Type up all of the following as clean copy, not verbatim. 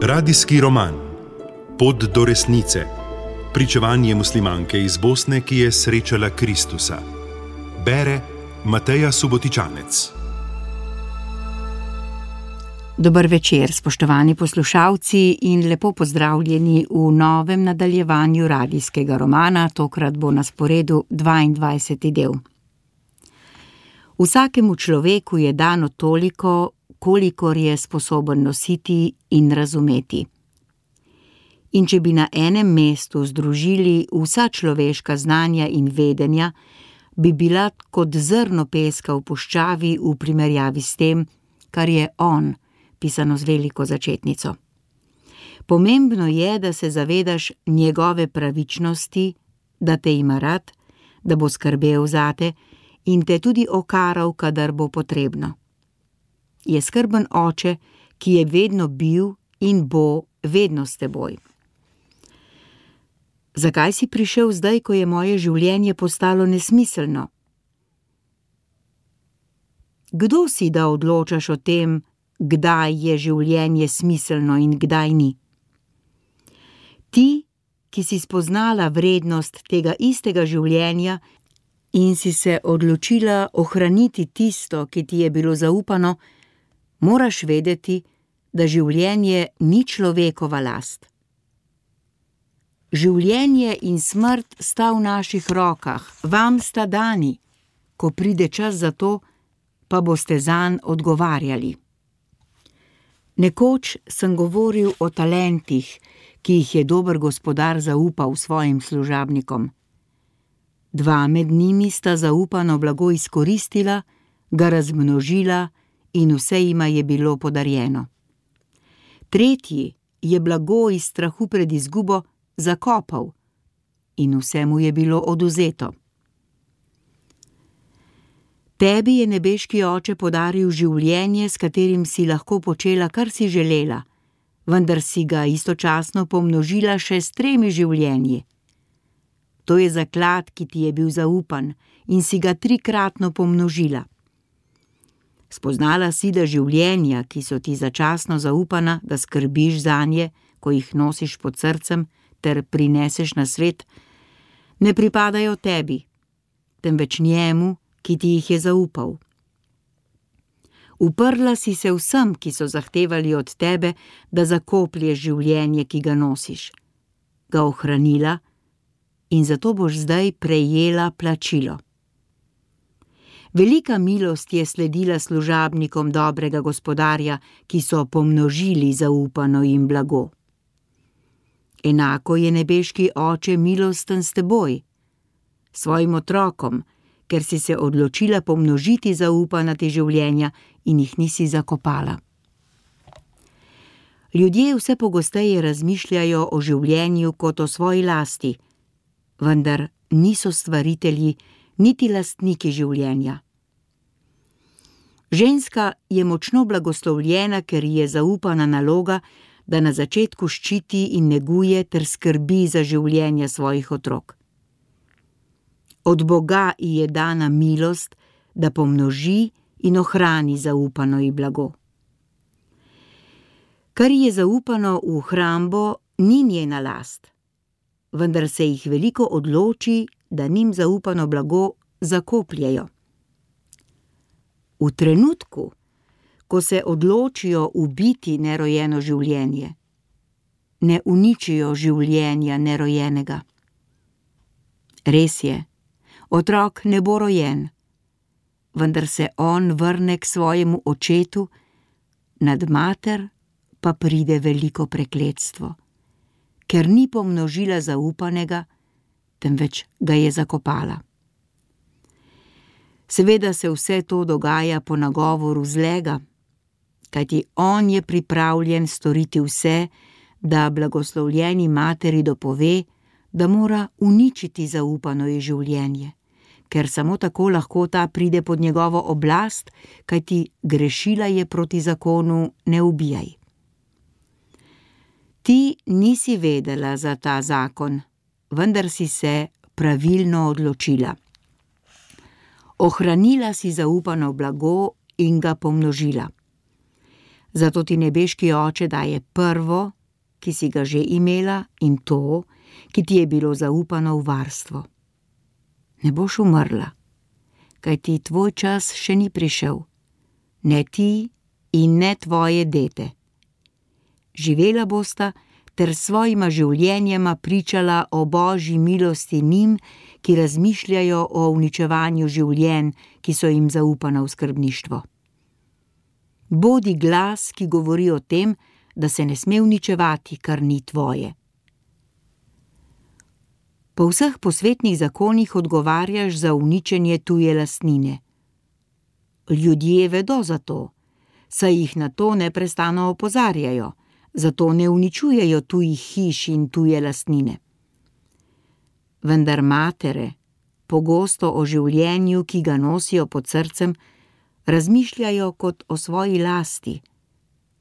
Radijski roman Pot do resnice. Pričevanje muslimanke iz Bosne, ki je srečala Kristusa. Bere Mateja Subotičanec. Dober večer, spoštovani poslušalci, in lepo pozdravljeni v novem nadaljevanju radijskega romana. Tokrat bo na sporedu 22. del. Vsakemu človeku je dano toliko, kolikor je sposoben nositi in razumeti. In če bi na enem mestu združili vsa človeška znanja in vedenja, bi bila kot zrno peska v puščavi v primerjavi s tem, kar je on, pisano z veliko začetnico. Pomembno je, da se zavedaš njegove pravičnosti, da te ima rad, da bo skrbel zate in te tudi okaral, kadar bo potrebno. Je skrben oče, ki je vedno bil in bo vedno s teboj. Zakaj si prišel zdaj, ko je moje življenje postalo nesmiselno? Kdo si, da odločaš o tem, kdaj je življenje smiselno in kdaj ni? Ti, ki si spoznala vrednost tega istega življenja in si se odločila ohraniti tisto, ki ti je bilo zaupano, moraš vedeti, da življenje ni človekova last. Življenje in smrt sta v naših rokah, vam sta dani. Ko pride čas za to, pa boste zanj odgovarjali. Nekoč sem govoril o talentih, ki jih je dober gospodar zaupal svojim služabnikom. 2 med njimi sta zaupano blago izkoristila, ga razmnožila in vse jima je bilo podarjeno. 3. je blago iz strahu pred izgubo zakopal in vse mu je bilo odvzeto. Tebi je nebeški oče podaril življenje, s katerim si lahko počela, kar si želela, vendar si ga istočasno pomnožila še s 3 življenji. To je zaklad, ki ti je bil zaupan in si ga 3-kratno pomnožila. Spoznala si, da življenja, ki so ti začasno zaupana, da skrbiš zanje, ko jih nosiš pod srcem ter prineseš na svet, ne pripadajo tebi, temveč njemu, ki ti jih je zaupal. Uprla si se vsem, ki so zahtevali od tebe, da zakoplješ življenje, ki ga nosiš. Ga ohranila in zato boš zdaj prejela plačilo. Velika milost je sledila služabnikom dobrega gospodarja, ki so pomnožili zaupano jim blago. Enako je nebeški oče milosten s teboj, svojim otrokom, ker si se odločila pomnožiti zaupana ti življenja in jih nisi zakopala. Ljudje vse pogosteje razmišljajo o življenju kot o svoji lasti, vendar niso stvaritelji niti lastniki življenja. Ženska je močno blagoslovljena, ker ji je zaupana naloga, da na začetku ščiti in neguje ter skrbi za življenja svojih otrok. Od Boga ji je dana milost, da pomnoži in ohrani zaupano ji blago. Kar ji je zaupano v hrambo, ni njena last, vendar se jih veliko odloči, da njim zaupano blago zakopljejo. V trenutku, ko se odločijo ubiti nerojeno življenje, ne uničijo življenja nerojenega. Res je, otrok ne bo rojen, vendar se on vrne k svojemu očetu, nad mater pa pride veliko prekletstvo, ker ni pomnožila zaupanega, temveč ga je zakopala. Seveda se vse to dogaja po nagovoru zlega, kajti on je pripravljen storiti vse, da blagoslovljeni materi dopove, da mora uničiti zaupano ji življenje, ker samo tako lahko ta pride pod njegovo oblast, kajti grešila je proti zakonu ne ubijaj. Ti nisi vedela za ta zakon, vendar si se pravilno odločila. Ohranila si zaupano blago in ga pomnožila. Zato ti nebeški Oče daje prvo, ki si ga že imela, in to, ki ti je bilo zaupano v varstvo. Ne boš umrla, kajti tvoj čas še ni prišel, ne ti in ne tvoje dete. Živela bosta ter svojima življenjema pričala o Božji milosti njim, ki razmišljajo o uničevanju življenj, ki so jim zaupana v skrbništvo. Bodi glas, ki govori o tem, da se ne sme uničevati, kar ni tvoje. Po vseh posvetnih zakonih odgovarjaš za uničenje tuje lastnine. Ljudje vedo za to, saj jih na to neprestano opozarjajo, zato ne uničujejo tujih hiš in tuje lastnine. Vendar matere, pogosto o življenju, ki ga nosijo pod srcem, razmišljajo kot o svoji lasti,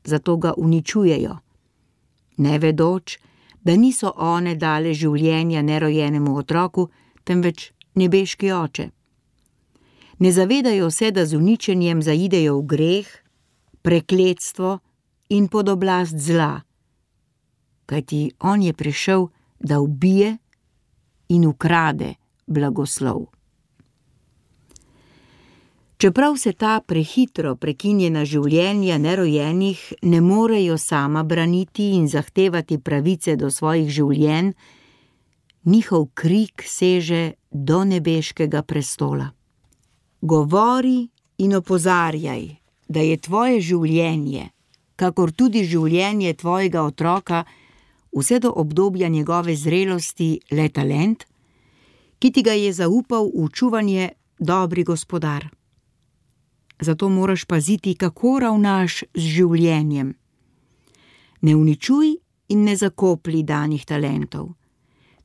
zato ga uničujejo, ne vedoč, da niso one dale življenja nerojenemu otroku, temveč nebeški Oče. Ne zavedajo se, da z uničenjem zaidejo v greh, prekletstvo in pod oblast zla, kajti on je prišel, da ubije in ukrade blagoslov. Čeprav se ta prehitro prekinjena življenja nerojenih ne morejo sama braniti in zahtevati pravice do svojih življenj, njihov krik seže do nebeškega prestola. Govori in opozarjaj, da je tvoje življenje, kakor tudi življenje tvojega otroka, vse do obdobja njegove zrelosti le talent, ki ti ga je zaupal v čuvanje dobri gospodar. Zato moraš paziti, kako ravnaš z življenjem. Ne uničuj in ne zakoplji danih talentov,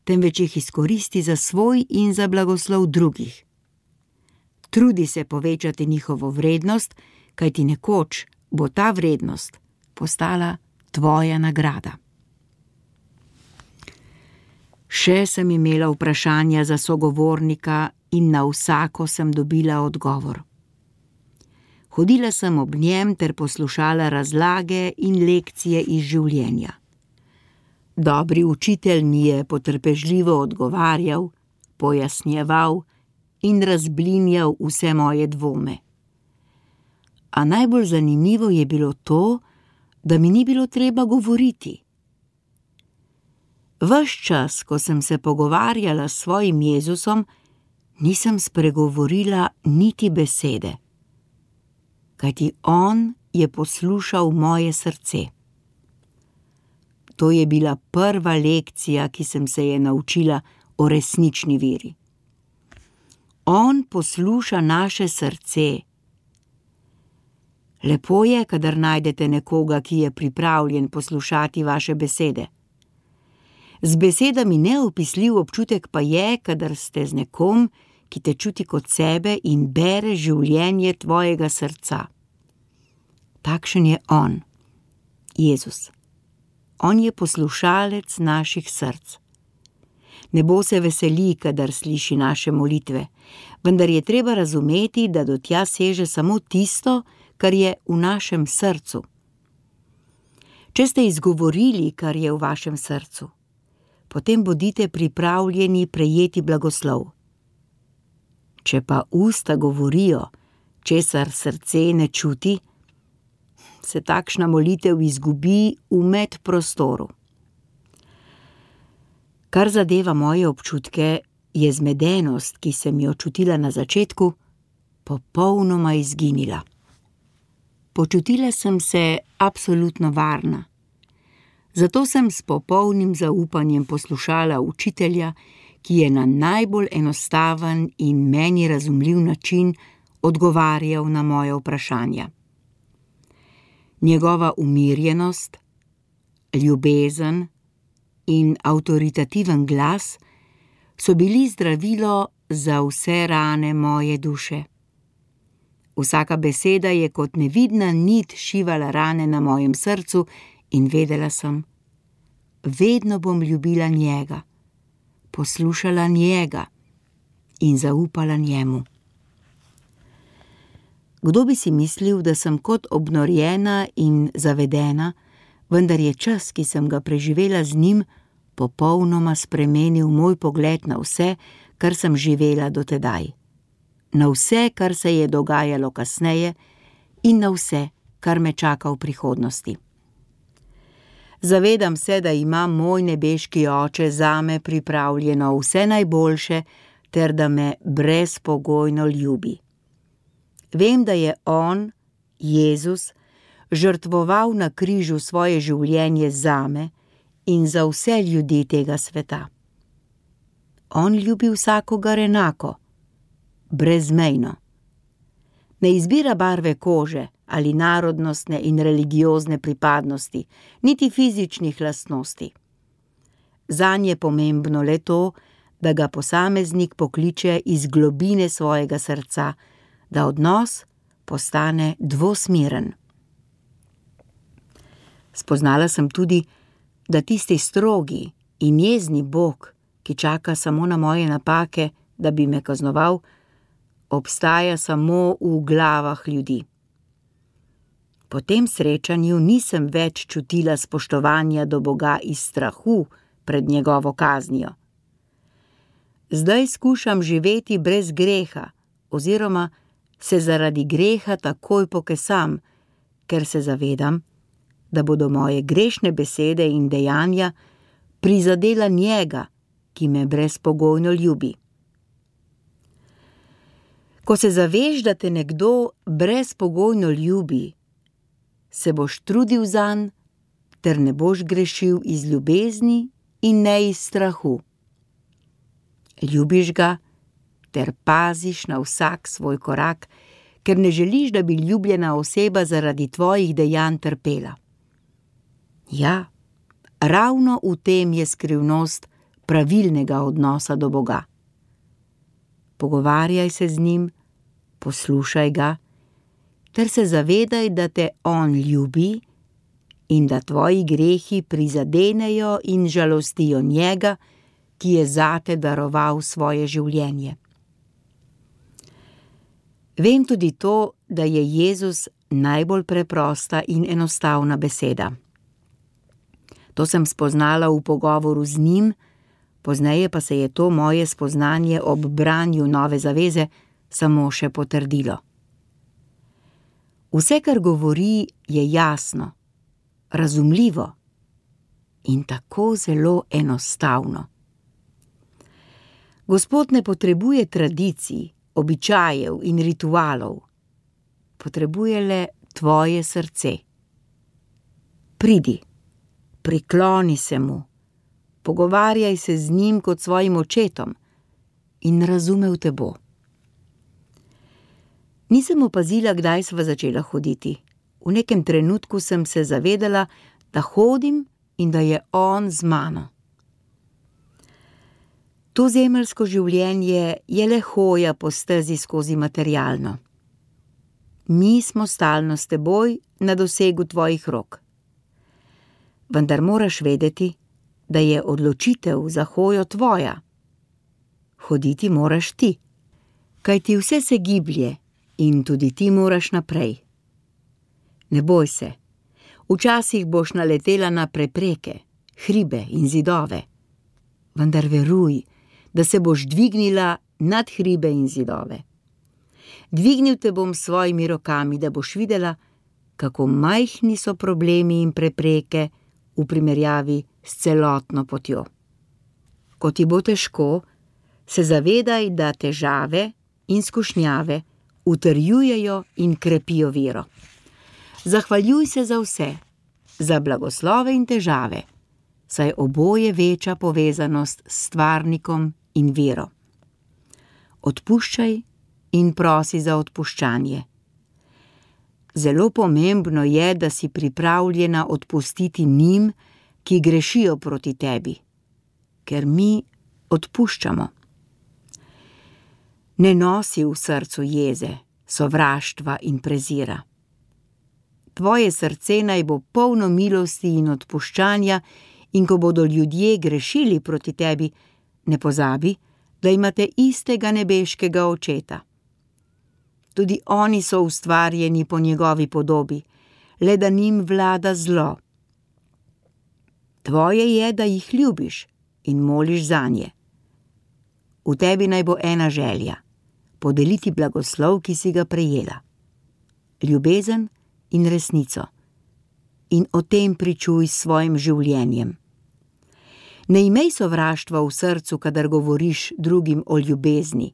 temveč jih izkoristi za svoj in za blagoslov drugih. Trudi se povečati njihovo vrednost, kajti nekoč bo ta vrednost postala tvoja nagrada. Še sem imela vprašanja za sogovornika in na vsako sem dobila odgovor. Hodila sem ob njem ter poslušala razlage in lekcije iz življenja. Dobri učitelj mi je potrpežljivo odgovarjal, pojasnjeval in razblinjal vse moje dvome. A najbolj zanimivo je bilo to, da mi ni bilo treba govoriti. Ves čas, ko sem se pogovarjala s svojim Jezusom, nisem spregovorila niti besede, kajti on je poslušal moje srce. To je bila prva lekcija, ki sem se je naučila o resnični veri. On posluša naše srce. Lepo je, kadar najdete nekoga, ki je pripravljen poslušati vaše besede. Z besedami neopisljiv občutek pa je, kadar ste z nekom, ki te čuti kot sebe in bere življenje tvojega srca. Takšen je on, Jezus. On je poslušalec naših src. Nebo se veseli, kadar sliši naše molitve, vendar je treba razumeti, da do tja seže samo tisto, kar je v našem srcu. Če ste izgovorili, kar je v vašem srcu, potem bodite pripravljeni prejeti blagoslov. Če pa usta govorijo, česar srce ne čuti, se takšna molitev izgubi v medprostoru. Kar zadeva moje občutke, je zmedenost, ki sem jo čutila na začetku, popolnoma izginila. Počutila sem se absolutno varna. Zato sem s popolnim zaupanjem poslušala učitelja, ki je na najbolj enostaven in meni razumljiv način odgovarjal na moje vprašanja. Njegova umirjenost, ljubezen in avtoritativen glas so bili zdravilo za vse rane moje duše. Vsaka beseda je kot nevidna nit šivala rane na mojem srcu in vedela sem, vedno bom ljubila njega, poslušala njega in zaupala njemu. Kdo bi si mislil, da sem kot obnorjena in zavedena, vendar je čas, ki sem ga preživela z njim, popolnoma spremenil moj pogled na vse, kar sem živela do tedaj. Na vse, kar se je dogajalo kasneje in na vse, kar me čaka v prihodnosti. Zavedam se, da ima moj nebeški Oče zame pripravljeno vse najboljše ter da me brezpogojno ljubi. Vem, da je on, Jezus, žrtvoval na križu svoje življenje zame in za vse ljudi tega sveta. On ljubi vsakogar enako, brezmejno. Ne izbira barve kože ali narodnostne in religiozne pripadnosti, niti fizičnih lastnosti. Zanj je pomembno le to, da ga posameznik pokliče iz globine svojega srca, da odnos postane dvosmeren. Spoznala sem tudi, da tisti strogi in jezni Bog, ki čaka samo na moje napake, da bi me kaznoval, obstaja samo v glavah ljudi. Po tem srečanju nisem več čutila spoštovanja do Boga iz strahu pred njegovo kaznijo. Zdaj skušam živeti brez greha, oziroma se zaradi greha takoj pokesam, ker se zavedam, da bodo moje grešne besede in dejanja prizadela njega, ki me brezpogojno ljubi. Ko se zaveš, da te nekdo brezpogojno ljubi, se boš trudil zanj, ter ne boš grešil iz ljubezni in ne iz strahu. Ljubiš ga, ter paziš na vsak svoj korak, ker ne želiš, da bi ljubljena oseba zaradi tvojih dejanj trpela. Ja, ravno v tem je skrivnost pravilnega odnosa do Boga. Pogovarjaj se z njim, poslušaj ga, ter se zavedaj, da te on ljubi in da tvoji grehi prizadenejo in žalostijo njega, ki je zate daroval svoje življenje. Vem tudi to, da je Jezus najbolj preprosta in enostavna beseda. To sem spoznala v pogovoru z njim, pozneje pa se je to moje spoznanje ob branju Nove zaveze samo še potrdilo. Vse, kar govori, je jasno, razumljivo in tako zelo enostavno. Gospod ne potrebuje tradicij, običajev in ritualov. Potrebuje le tvoje srce. Pridi, prikloni se mu, pogovarjaj se z njim kot svojim očetom in razumel te bo. Nisem opazila, kdaj sva začela hoditi. V nekem trenutku sem se zavedala, da hodim in da je on z mano. To zemeljsko življenje je le hoja po stezi skozi materialno. Mi smo stalno s teboj na dosegu tvojih rok. Vendar moraš vedeti, da je odločitev za hojo tvoja. Hoditi moraš ti, kajti vse se giblje in tudi ti moraš naprej. Ne boj se, včasih boš naletela na prepreke, hribe in zidove, vendar veruj, da se boš dvignila nad hribe in zidove. Dvignil te bom s svojimi rokami, da boš videla, kako majhni so problemi in prepreke v primerjavi s celotno potjo. Ko ti bo težko, se zavedaj, da težave in skušnjave utrjujejo in krepijo vero. Zahvaljuj se za vse, za blagoslove in težave, saj oboje veča povezanost s stvarnikom in vero. Odpuščaj in prosi za odpuščanje. Zelo pomembno je, da si pripravljena odpustiti njim, ki grešijo proti tebi, ker mi odpuščamo. Ne nosi v srcu jeze, sovraštva in prezira. Tvoje srce naj bo polno milosti in odpuščanja, in ko bodo ljudje grešili proti tebi, ne pozabi, da imate istega nebeškega Očeta. Tudi oni so ustvarjeni po njegovi podobi, le da njim vlada zlo. Tvoje je, da jih ljubiš in moliš zanje. V tebi naj bo ena želja, podeliti blagoslov, ki si ga prejela. Ljubezen in resnico. In o tem pričuj s svojim življenjem. Ne imej sovraštva v srcu, kadar govoriš drugim o ljubezni.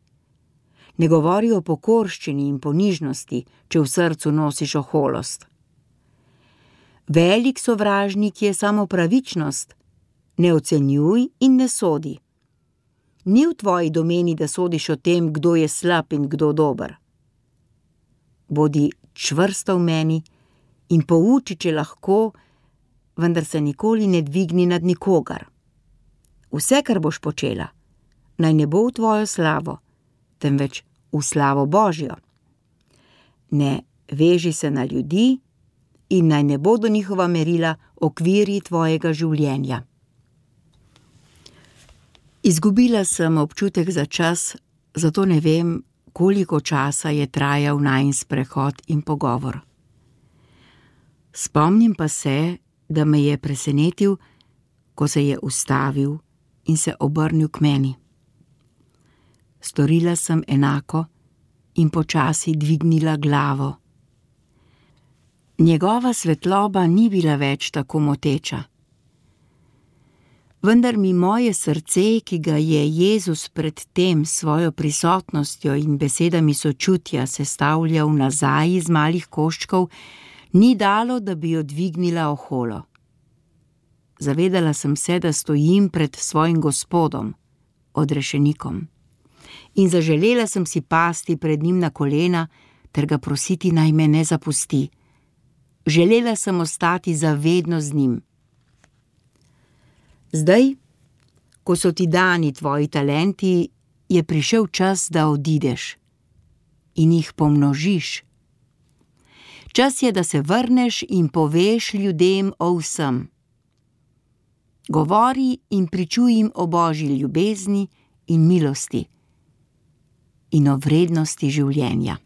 Ne govori o pokorščini in ponižnosti, če v srcu nosiš oholost. Velik sovražnik je samo pravičnost, ne ocenjuj in ne sodi. Ni v tvoji domeni, da sodiš o tem, kdo je slab in kdo dober. Bodi čvrsta v meni in pouči, če lahko, vendar se nikoli ne dvigni nad nikogar. Vse, kar boš počela, naj ne bo v tvojo slavo, temveč v slavo Božjo. Ne veži se na ljudi in naj ne bodo njihova merila okvirji tvojega življenja. Izgubila sem občutek za čas, zato ne vem, koliko časa je trajal najin sprehod in pogovor. Spomnim pa se, da me je presenetil, ko se je ustavil in se obrnil k meni. Storila sem enako in počasi dvignila glavo. Njegova svetloba ni bila več tako moteča. Vendar mi moje srce, ki ga je Jezus pred tem svojo prisotnostjo in besedami sočutja sestavljal nazaj iz malih koščkov, ni dalo, da bi jo dvignila oholo. Zavedala sem se, da stojim pred svojim Gospodom, odrešenikom. In zaželela sem si pasti pred njim na kolena ter ga prositi, naj me ne zapusti. Želela sem ostati za vedno z njim. Zdaj, ko so ti dani tvoji talenti, je prišel čas, da odideš in jih pomnožiš. Čas je, da se vrneš in poveš ljudem o vsem. Govori in pričuj jim o Božji ljubezni in milosti in o vrednosti življenja.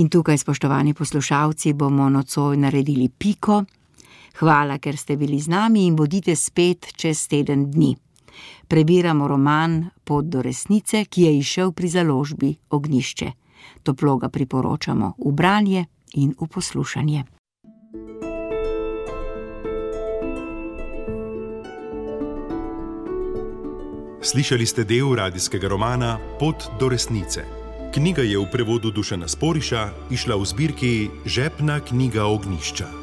In tukaj, spoštovani poslušalci, bomo nocoj naredili piko. Hvala, ker ste bili z nami in bodite spet čez teden dni. Prebiramo roman Pot do resnice, ki je izšel pri založbi Ognjišče. Toplo ga priporočamo v branje in v poslušanje. Slišali ste del radijskega romana Pot do resnice. Knjiga je v prevodu Dušana Sporiša izšla v zbirki Žepna knjiga Ognjišča.